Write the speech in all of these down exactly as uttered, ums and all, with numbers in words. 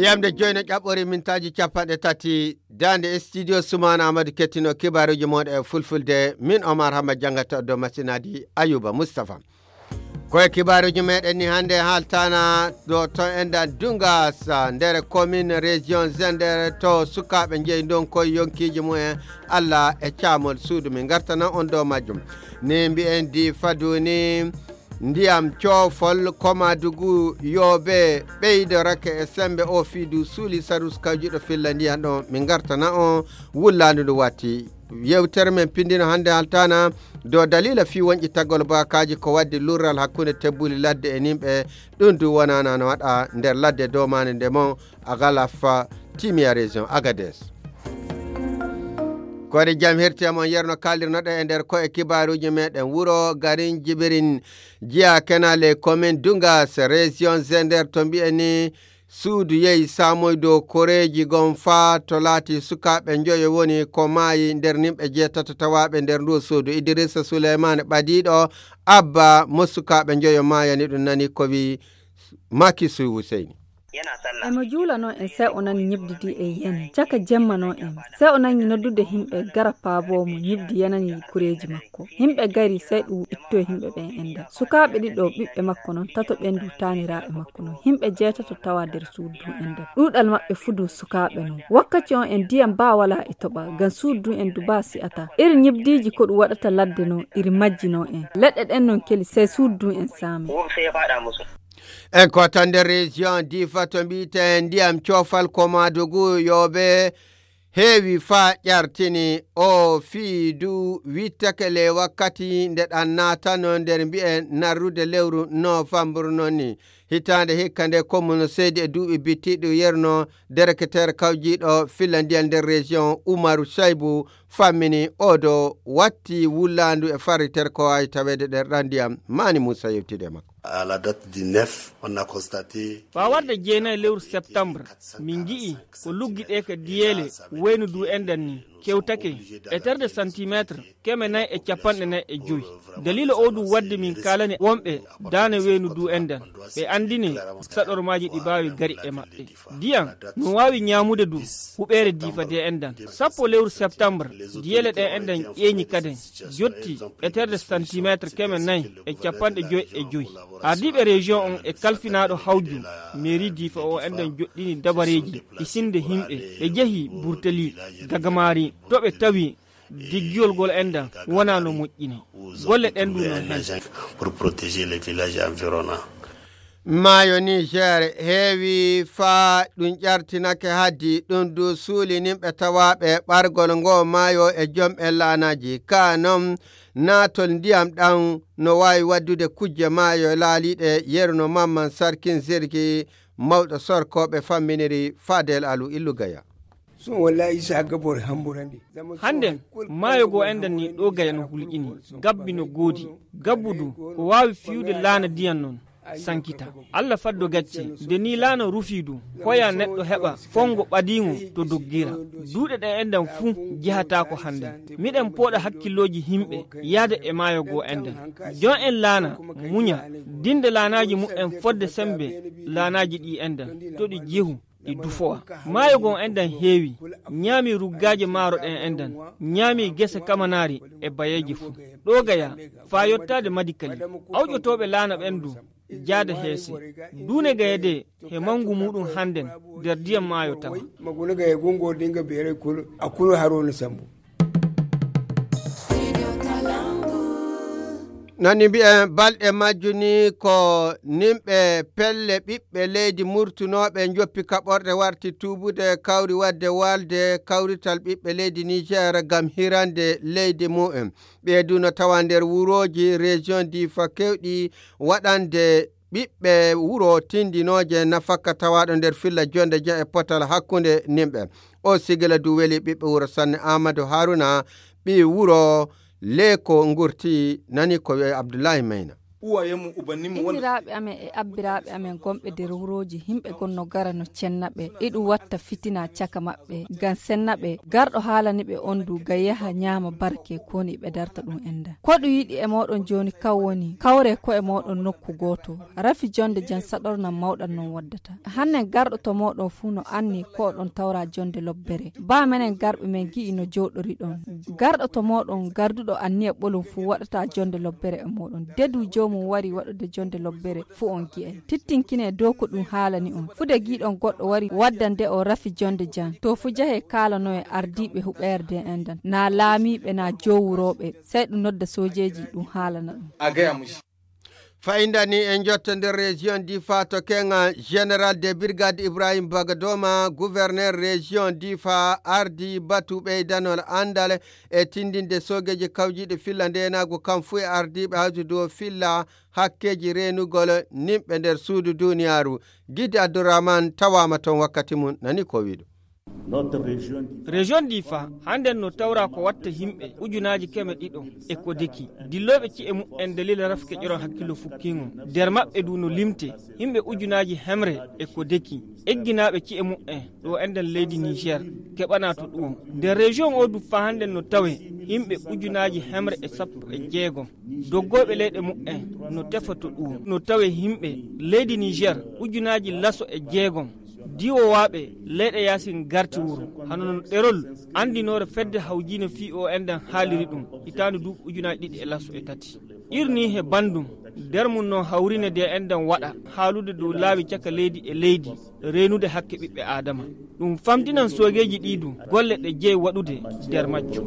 yamde joyno ƴaɓɓori mintaji capanɗe tati dande studio Sumana Amadou kettino kibaruji moɗo e fulfulde min Omar Hamad jangata do masinadi Ayuba Mustafa koye kibaruji meɗen ni hande haltana do to enda Dungas nder commune région Zender to sukaɓe jeeyi don koye yonkiji mumen Allah e camol suudu min gartana on do majjum ne mbi'en di faduni ndiyam coofol komadugu yobe ɓeydo rake e sembe o fiidu suuli sarus kawjiɗo filla ndiyan ɗo min gartana on wullandu ndu watti yewtere men pindino hande haltana do dalila fi wonƴi taggol bakaji ko waddi lurral hakkunde tebbuli ladde e nimɓe ɗum du wonana no waɗa nder ladde domane ndemo agalafa timia région Agadez kode jam herti amon yerno kaldirnoɗo e nder ko e kibaruji meɗen wuro garin jibirin jiya kenale commune Dungas région Zender to mbiyeni suudu yeyi samoydo koreji gon fa to laati sukaɓe joyo woni ko maayi nder nimɓe jeetato tawaɓe nder ndu suudu Idrissa Souleymane ɓadiɗo abba mo sukaɓe joyo maayani ɗum nani ko wi Makisu Hussein emo juula noon en sai o nani ñibdidi e yene caka jemma noon en sai o nani noddude himɓe gara paabo mo ñibdi yanani kureji makko himɓe gari sai ɗum itto himɓe ɓen enda sukaɓe ɗiɗo ɓiɓɓe makko noon tato ɓendu taniraɓe makko noon himɓe jeetato tawa nder suudu enda ɗuɗal maɓɓe fudu sukaɓe noon wakkati on en ndiyam ba wala e toɓa gan suudu en du ba si'ata iri ñibdiji ko ɗum waɗata ladde noon iri majji noon en leɗɗe ɗen noon keli sai suudu en saami en ko tan nder région Difa to mbiyeten ndiyam coofal komadugu yoɓe heewi fa ƴartini o fiidu wittakele wakkati nde ɗan natano nder mbi'en narrude lewru novembre noon ni hitande hikka nde commune seydi e duuɓi bittiɗo yerno dérecteur kawjiɗo filla ndiyal nder région Oumarou Saybou fammini oɗo watti wullandu e farritere ko wawi tawede nder ɗan ndiyam Mani Moussa yewtide makko à la date du neuf on a constaté fa warde jeenayi lewru septembre min gi'i ko luggiɗe ka diyele waynu du enden ni kewtake e terde centimétre keme nayi e capanɗe nayi e joyi dalila o du wadde min kalani wonɓe dane waynu du enden ɓe andini saɗormaji ɗi bawi gari e maɓɓe diyam no wawi ñamude du huɓere Difa de endan sappo lewru septembre diyele ɗe enden ƴeeñi kaden jotti e terde centimétre keme nayi e capanɗe joyi e joyi ardiɓe région on e kalfinaɗo hawju mairie Difa o enden joɗɗini dabareji isinde himɓe ɓe jeehi Burtali Gagamari to ɓe tawi diggiyol gol endan wona no moƴƴini golle ɗen du noon hen pour protéger les villages environnants maayo Niger heewi faa ɗum ƴartinake haddi ɗum du suuli nimɓe tawaɓe ɓargol ngo maayo e jomɓe laanaji ka non naatol ndiyam ɗan no wawi waddude kujje maayo laaliɗe yerno Mamman Sarkin Zirgi mawɗo sorkoɓe famminiri Fadel Alou Illugaya so wallahi sa gabor hamburande hande maayo go enden ni ɗo gaya no hulƴini gabbi no goodi gabbudu ko wawi fiyude laana diyan noon sankita Allah faddo gacci nde ni laana rufidu hoya neɗɗo heɓa fongo ɓadiŋo to doggira duuɗe ɗe enden fuu jehata ko hande miɗen pooɗa hakkilloji himɓe yaada e maayo go enden jon en laana muña dinde laanaji mu'en fodde sembe laanaji ɗi enden to ɗi jehu ɗi dufowa maayo gon enden heewi ñaami ruggaji maaro ɗen enden ñaami gese kamanari e bayeji fuu ɗo gaya fa yottade madikali awƴotoɓe laana ɓendu jaada heese duune gayede he mangu muɗum handen nder diyam maayo tawa maguna gaye gongo dinga bere kul akulu haruna sambu nani mbi'en balɗe majjuni ko nimɓe pelle ɓiɓɓe leydi murtunoɓe joppi kaɓorɗe warti tubude kawri wadde walde kawrital ɓiɓɓe leydi Niger gam hirande leydi mu'en ɓeyduno tawa nder wuroji région Difa kewɗi waɗande ɓiɓɓe wuro tindinoje nafakka tawaɗo nder filla jonde je e potal hakkunde nimɓe o sigila du weli ɓiɓɓe wuro Sanne Amadou Haruna ɓi wuro Leko ngurti nani ko Abdoulaye Mayna uwayemu ubannimo inniraaɓe amen e abbiraaɓe amen gonɓe nder wuroji himɓe gonno gara no cennaɓe iɗum watta fitina caka maɓɓe ngam sennaɓe garɗo haalaniɓe on du ga yaha ñaama barke koni ɓe darta ɗum enda ko ɗum yiɗi e moɗon joni kaw woni kawre ko e moɗon nokku goto rafi jonde jan saɗornam mawɗan non waddata hannen garɗo to moɗon fuu no anni ko oɗon tawra jonde lobbere ba menen garɓe men gi'i no joɗori ɗon garɗo to moɗon garduɗo anniya ɓolum fuu waɗata jonde lobbere e moɗon dedu jomum wari waɗude jonde lobbere fuu on gi'e tittinkine dow ko ɗum haalani on fude giɗon goɗɗo wari waddande o rafi jonde jan to fu jahe kalano e ardiɓe huɓerde endan na laamiɓe na jowuroɓe sey ɗum nodda sojeji ɗum haalana ɗum a gayamusi fayindani en jotta nder région difa to kenga général de brigade ibrahim bagadoma gouverneur région difa ardi batu ɓeydanol andal e tindinde sogeji kawjiɗe filla ndenago kam fu e ardiɓe hawti dow filla hakkeji renugol nimɓe nder suudu duniyaru guide abdourahmane tawama toon wakkati mum nani ko wiɗo région difa handen no tawra ko watta himɓe ujunaji keme ɗiɗo e ko deki dilloɓe ci'e mu'en dalila rafke ƴeron hakkillo fukkingo nder maɓɓe du no limte himɓe ujunaji hemre e ko deki egginaɓe ci'e mu'en ɗo enden leydi niger keɓana to ɗum nder région o du fa handen no tawe himɓe ujunaji hemre e sappo e jeegom doggoɓe leyɗe mu'en no tefa to ɗum no tawe himɓe leydi niger ujunaji laso e jeegom diwowaɓe leyɗe yasin garti wuro hano non ɗerol andinore fedde hawjino fi o enden haaliri ɗum hitande du ujunaji ɗiɗi e lasso e tati irni he bandum nder mum no hawrine de enden waɗa haalude dow laawi caka leydi e leydi renude hakke ɓiɓɓe adama ɗum famtinan sogeji ɗidu golle ɗe jeeyi waɗude nder majjo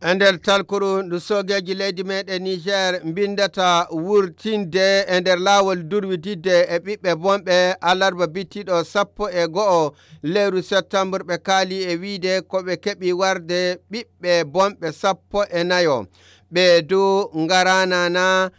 e nder talkuru ndu sogeji leydi meɗen niger bindata wurtinde e nder laawol durwididde e ɓiɓɓe bonɓe alarba bittiɗo sappo e go'o lewru septembre ɓe kaali e wiide koɓe keɓi warde ɓiɓɓe bonɓe sappo e nayo ɓe du ngaranana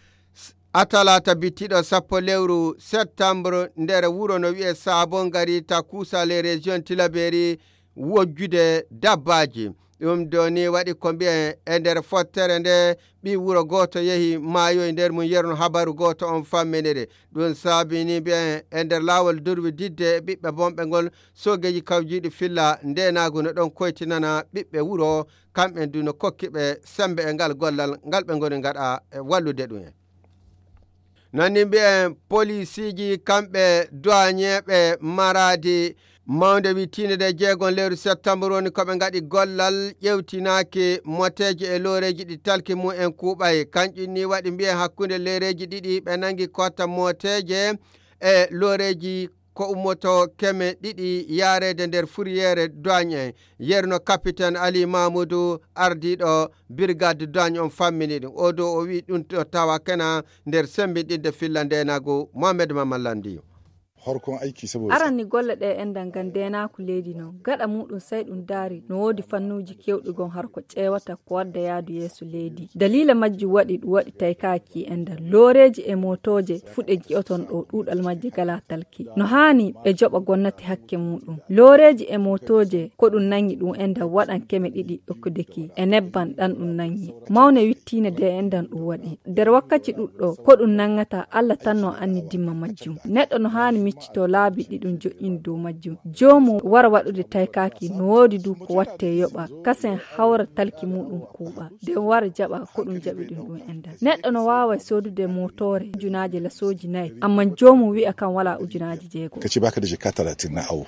atalata bittiɗo sappo lewru septembre nder wuro no wiye sabon gari ta kuusale région tilaberi wojjude dabbaji ɗum doni waɗi ko mbiye e nder fottere nde ɓi wuro goto yehi maayo e nder mum yerno habaru goto on fammenere ɗum saabini mbiye e nder laawol durwi didde e ɓiɓɓe bonɓe ngol sogeji kawjiɗi filla ndenagu no ɗon koytinana ɓiɓɓe wuro kamɓe du no kokkiɓe sembe e ngal gollal ngal ɓe goni gaɗa e wallude ɗum en nani mbiye policiji kamɓe douaniéɓe maradi mawde wittinde de jeegon lewru septembre woni koɓe gaɗi gollal ƴewtinaki moteji e loreji ɗi talki mum en kuuɓay kanƴum ni waɗi mbiye hakkude lereji ɗiɗi ɓe nangi kotta moteje e loreji ko ummoto keme ɗiɗi yarede nder fourriére douane en yerno capitaine ali mamoudou ardiɗo brigade douane on fammini ɗum o dow o wi ɗum to tawa kena nder sembinɗinde filla ndenago mohamed mamallandiyo horkon aiki saboda aranni golle ɗe endan gan denaku leydi no gaɗa muɗum sai ɗum daari no wodi fannuji kewɗi gon har ko ƴewata ko wadda yaadu yeeso leydi dalila majju waɗi ɗum waɗi taykaki endan loreji e motoje fuɗe ji'oton ɗo ɗuɗal majje gala talki no hani ɓe joɓa gonnati hakke muɗum loreji e motoje ko ɗum nangi ɗum endan waɗan keme ɗiɗi ɗokkudeki e nebban ɗan ɗum nangi mawne wittine de endan ɗum waɗi nder wakkati ɗuɗɗo ko ɗum nangata allah tan no anni dimma majjum neɗɗo no hani miccito laabi ɗiɗum joƴƴin dow majjum jomum wara waɗude taykaki no woodi du ko watte yoɓa kasen hawra talki muɗum kuuɓa nden wara jaɓa ko ɗum jaɓi ɗum ɗum endan neɗɗo no wawa sodude motore ujunaji lasoji nayyi amma jomum wi'a kan wala ujunaji jeego kace baka da jikka talatin na awo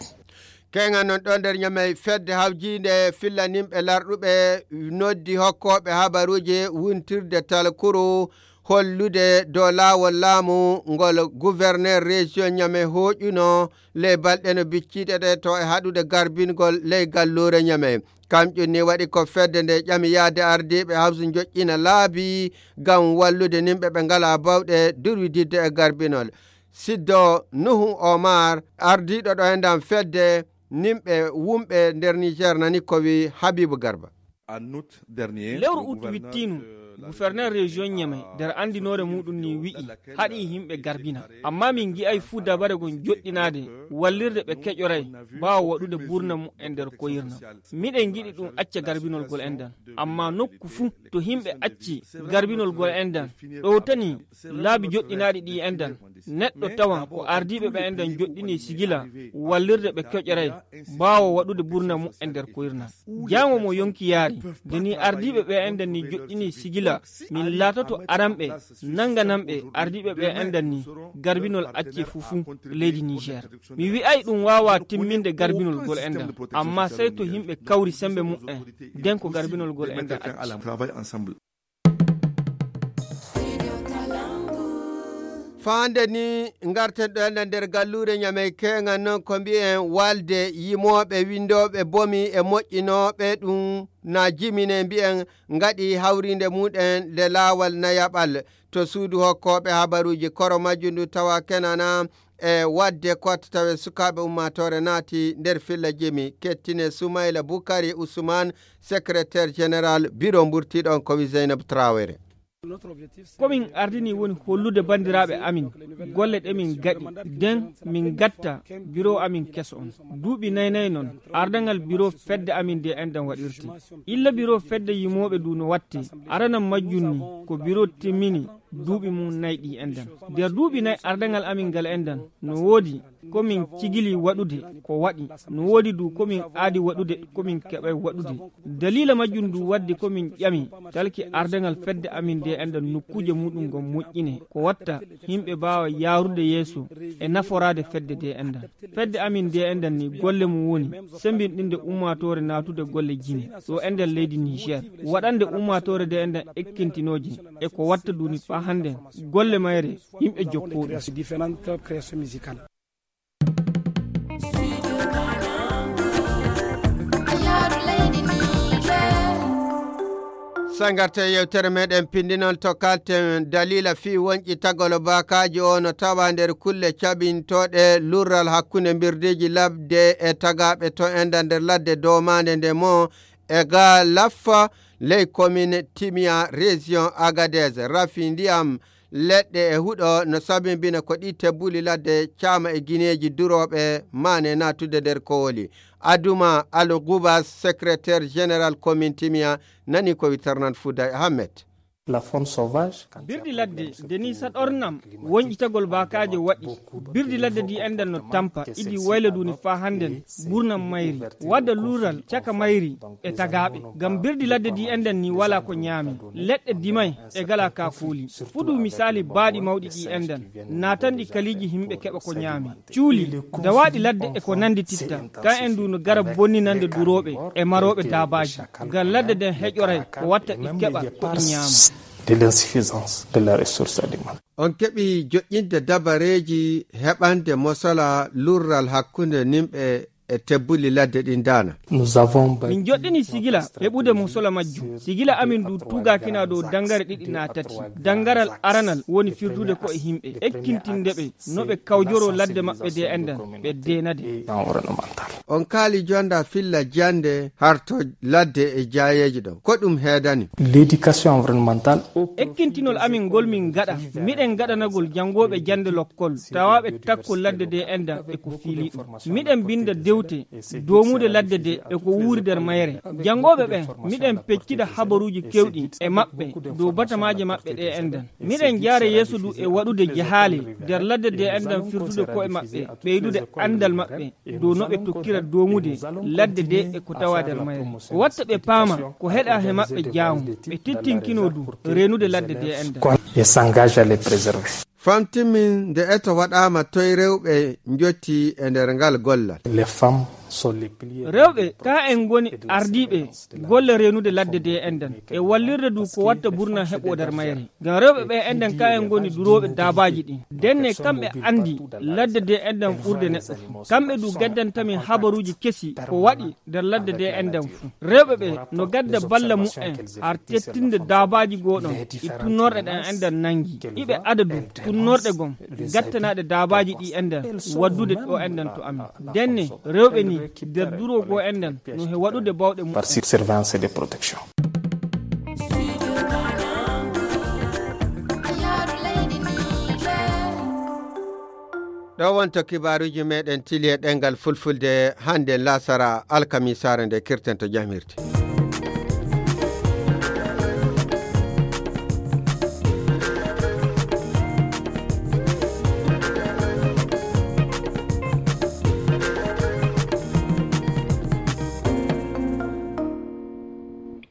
kenga non ɗon nder ñamey fedde hawjinde fillanimɓe larɗuɓe noddi hokkoɓe habaruji wuntirde talkuru hollude dow laawol laamu ngol gouverneur région ñame hoƴuno ley balɗe no bicciɗe ɗe to e haɗude garbingol ley gallure ñame kamƴum ni waɗi ko fedde nde ƴami yaade ardiɓe hawso joƴƴina laabi gam wallude nimɓe ɓe ngala bawɗe durwididde e garbinol siddo nuhu omar ardiɗo ɗo hendan fedde nimɓe wumɓe nder niger nani ko wi habibou garba lewru ut wittinu gouverneur région Niamey der andinore muɗum ni wi'i haɗi himɓe garbina amma min gi'ay fuu dabare gon joɗɗinade wallirde ɓe keƴoray bawa waɗude burna mu e nder koyirna miɗen giɗi ɗum acca garbinol gol endan amma nokku fuu to himɓe acci garbinol gol endan ɗo tani laabi joɗɗinaɗi ɗi endan neɗɗo tawan ko ardiɓe ɓe endan joɗɗini sigila wallirde ɓe keƴoray bawa waɗude burna mu e nder koyirna jango mo yonki yaari deni ardiɓe ɓe endan ni joɗɗini sigila min latoto aranɓe nanganamɓe ardiɓe ɓe endan ni garbinol acce fufu leydi Niger mi wi'ay ɗum wawa timminde garbinol gol endan amma sey to himɓe kawri sembe mu'en den ko garbinol gol endan acci faande ni garten ɗo enda nder gallure Niamey kenga noon ko mbi'en walde yimoɓe windoɓe bomi e moƴƴinoɓe ɗum na jimine mbi'en ngaɗi hawrinde muɗen le lawal nayaɓal to suudu hokkoɓe habaruji koro majju ndu tawa kenana e wadde kotta tawe sukaɓe ummatore naati nder filla jimi kettine Soumaïla Boukari Ousmane secrétaire général bureau mburtiɗon komi Zeynab Traoré. komin ardini woni hollude bandiraɓe amin golle ɗe min gaɗi den min gatta bureau amin keso on duuɓi naynayi noon ardangal bureau fedde amin de endan waɗirti illa bureau fedde yimoɓe du no watti aranam majjunni ko bureau timmini duuɓi mum nayyi ɗi endan nder duuɓi nayyi ardangal amin ngal endan no woodi komin cigili waɗude ko waɗi no woodi du komin aadi waɗude komin keɓay waɗude dalila majjum du waddi komin ƴami talki ardangal fedde amin de endan nokkuje muɗum gon moƴƴine ko watta himɓe mbawa yarude yeeso e naforade fedde de endan fedde amin de endan ni golle mum woni sembinɗinde ummatore natude golle jine ɗo enden leydi Niger waɗande ummatore de endan ekkintinoji e ko watta duni fa hande golle mayre yimɓe jokkoɗum sangarte yewtere meɗen pindinol to kalten dalila fi wonƴi tagolo bakaji o no tawa nder kulle caɓintoɗe lurral hakkunde birdeji labde e tagaɓe to enda nder ladde domande nde mo e ga laffa ley commune Timia région Agadez rafi ndiyam leɗɗe e huɗo no sabimbina ko ɗi tebbuli ladde caama e guineji duroɓe mane natude nder kowoli aduma Al Goubas secrétaire général commune Timia nani ko witarnan Fouda Ahmed. La faune sauvage birdi ladde deni saɗornam wonƴitagol bakaje waɗi birdi ladde di endan no tampa idi wayladuni fa handen ɓurnam mayri wadda lural caka mayri e tagaɓe gam birdi ladde di endan ni wala ko ñaami leɗɗe dimay e gala ka kuuli fuɗu misali baaɗi mawɗi ɗi endan natanɗi kaliji himɓe keɓa ko ñaami cuuli dawaɗi ladde e ko nandi titta kan en du no gara bonninande duroɓe e maroɓe dabaji gam ladde den heƴoray ko watta ɗi keɓa ko ɗi ñaama de l'insuffisance de la ressource alimentaire. On keɓi joƴƴinde dabareji heɓande mosola lurral hakkunde nimɓe e tebbuli ladde ɗin dana nous avons min joɗɗini sigila heɓude mosola majjum sigila amin du tugakina ɗo dangare ɗiɗi na tati dangaral aranal woni firdude ko e himɓe ekkintindeɓe no ɓe kawjoro ladde maɓɓe de endan ɓe denade on kaali jonda filla jande harto ladde e jayeji ɗo ko ɗum heedani l'éducation environnementale ekkintinol amin ngol min gaɗa miɗen gaɗanagol jangoɓe jande lokkol tawaɓe takko ladde de endan e ko fiili ɗum miɗen binda dew domude ladde de e ko wuuri nder mayre jangoɓe ɓen miɗen peccida habaruji kewɗi e maɓɓe dow batamaje maɓɓe ɗe endan miɗen jaara yeeso du e waɗude jahaale nder ladde de endan firtude ko e maɓɓe ɓeydude andal maɓɓe dow no ɓe tokkira domude ladde de e ko tawa nder mayre ko watta ɓe paama ko heɗa he maɓɓe jaamu ɓe tittinkino du renude ladde de endan et s'engage à les préserver. famtimin nde eto waɗama toye rewɓe jotti e nder ngal gollal les femmes sont les piliers rewɓe ka en goni ardiɓe golle renude ladde de endan e wallirde du ko watta burna heɓo nder mayre ngam rewɓe ɓe endan ka en goni duroɓe dabaji ɗin denne kamɓe andi ladde de endan ɓurde neɗɗo fu kamɓe du gaddantamin habaruji kesi ko waɗi nder ladde de endan fu rewɓe ɓe no gadda balla mu'en har tettinde dabaji goɗon e tunnorɗe ɗen endan nangi iɓe adadu tunnorɗe gon gattanaɗe dabaji ɗi endan waddude ɗo endan to amin denne rewɓe ni nder duro go endan no he waɗude bawɗe par surveillance et de protection. ɗo wonto kibaruji meɗen tili e ɗengal fulfulde hande lasara alkamisare nde kirten to jamirte.